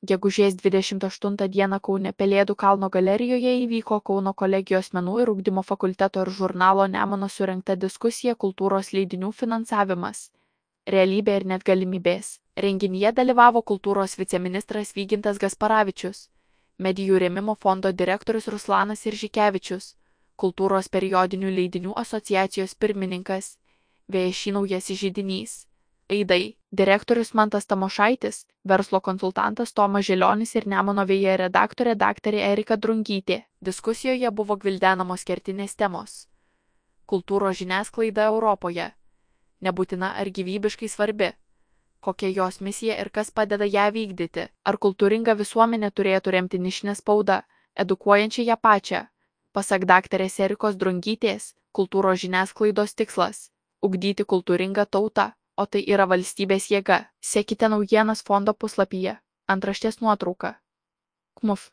Gegužės 28 dieną Kaune Pelėdų kalno galerijoje įvyko Kauno kolegijos menų ir ugdymo fakulteto ir žurnalo Nemunas surengta diskusija kultūros leidinių finansavimas, realybė ir net galimybės. Renginyje dalyvavo kultūros viceministras Vygintas Gasparavičius, medijų rėmimo fondo direktorius Ruslanas Iržikevičius, kultūros periodinių leidinių asociacijos pirmininkas, VŠI Naujasis židinys, Aidai, direktorius Mantas Tamošaitis, verslo konsultantas Tomas Žilionis ir Nemuno vėja redaktorė daktarė Erika Drungytė. Diskusijoje buvo gvildenamos kertinės temos. Kultūros žiniasklaida Europoje. Nebūtina ar gyvybiškai svarbi. Kokia jos misija ir kas padeda ją vykdyti. Ar kultūringa visuomenė turėtų remti nišinę spaudą, edukuojančią ją pačią. Pasak daktarės Erikos Drungytės, kultūros žiniasklaidos tikslas – ugdyti kultūringą tautą, o tai yra valstybės jėga. Sekite naujienas fondo puslapyje. Antraštės nuotrauka. KMUF.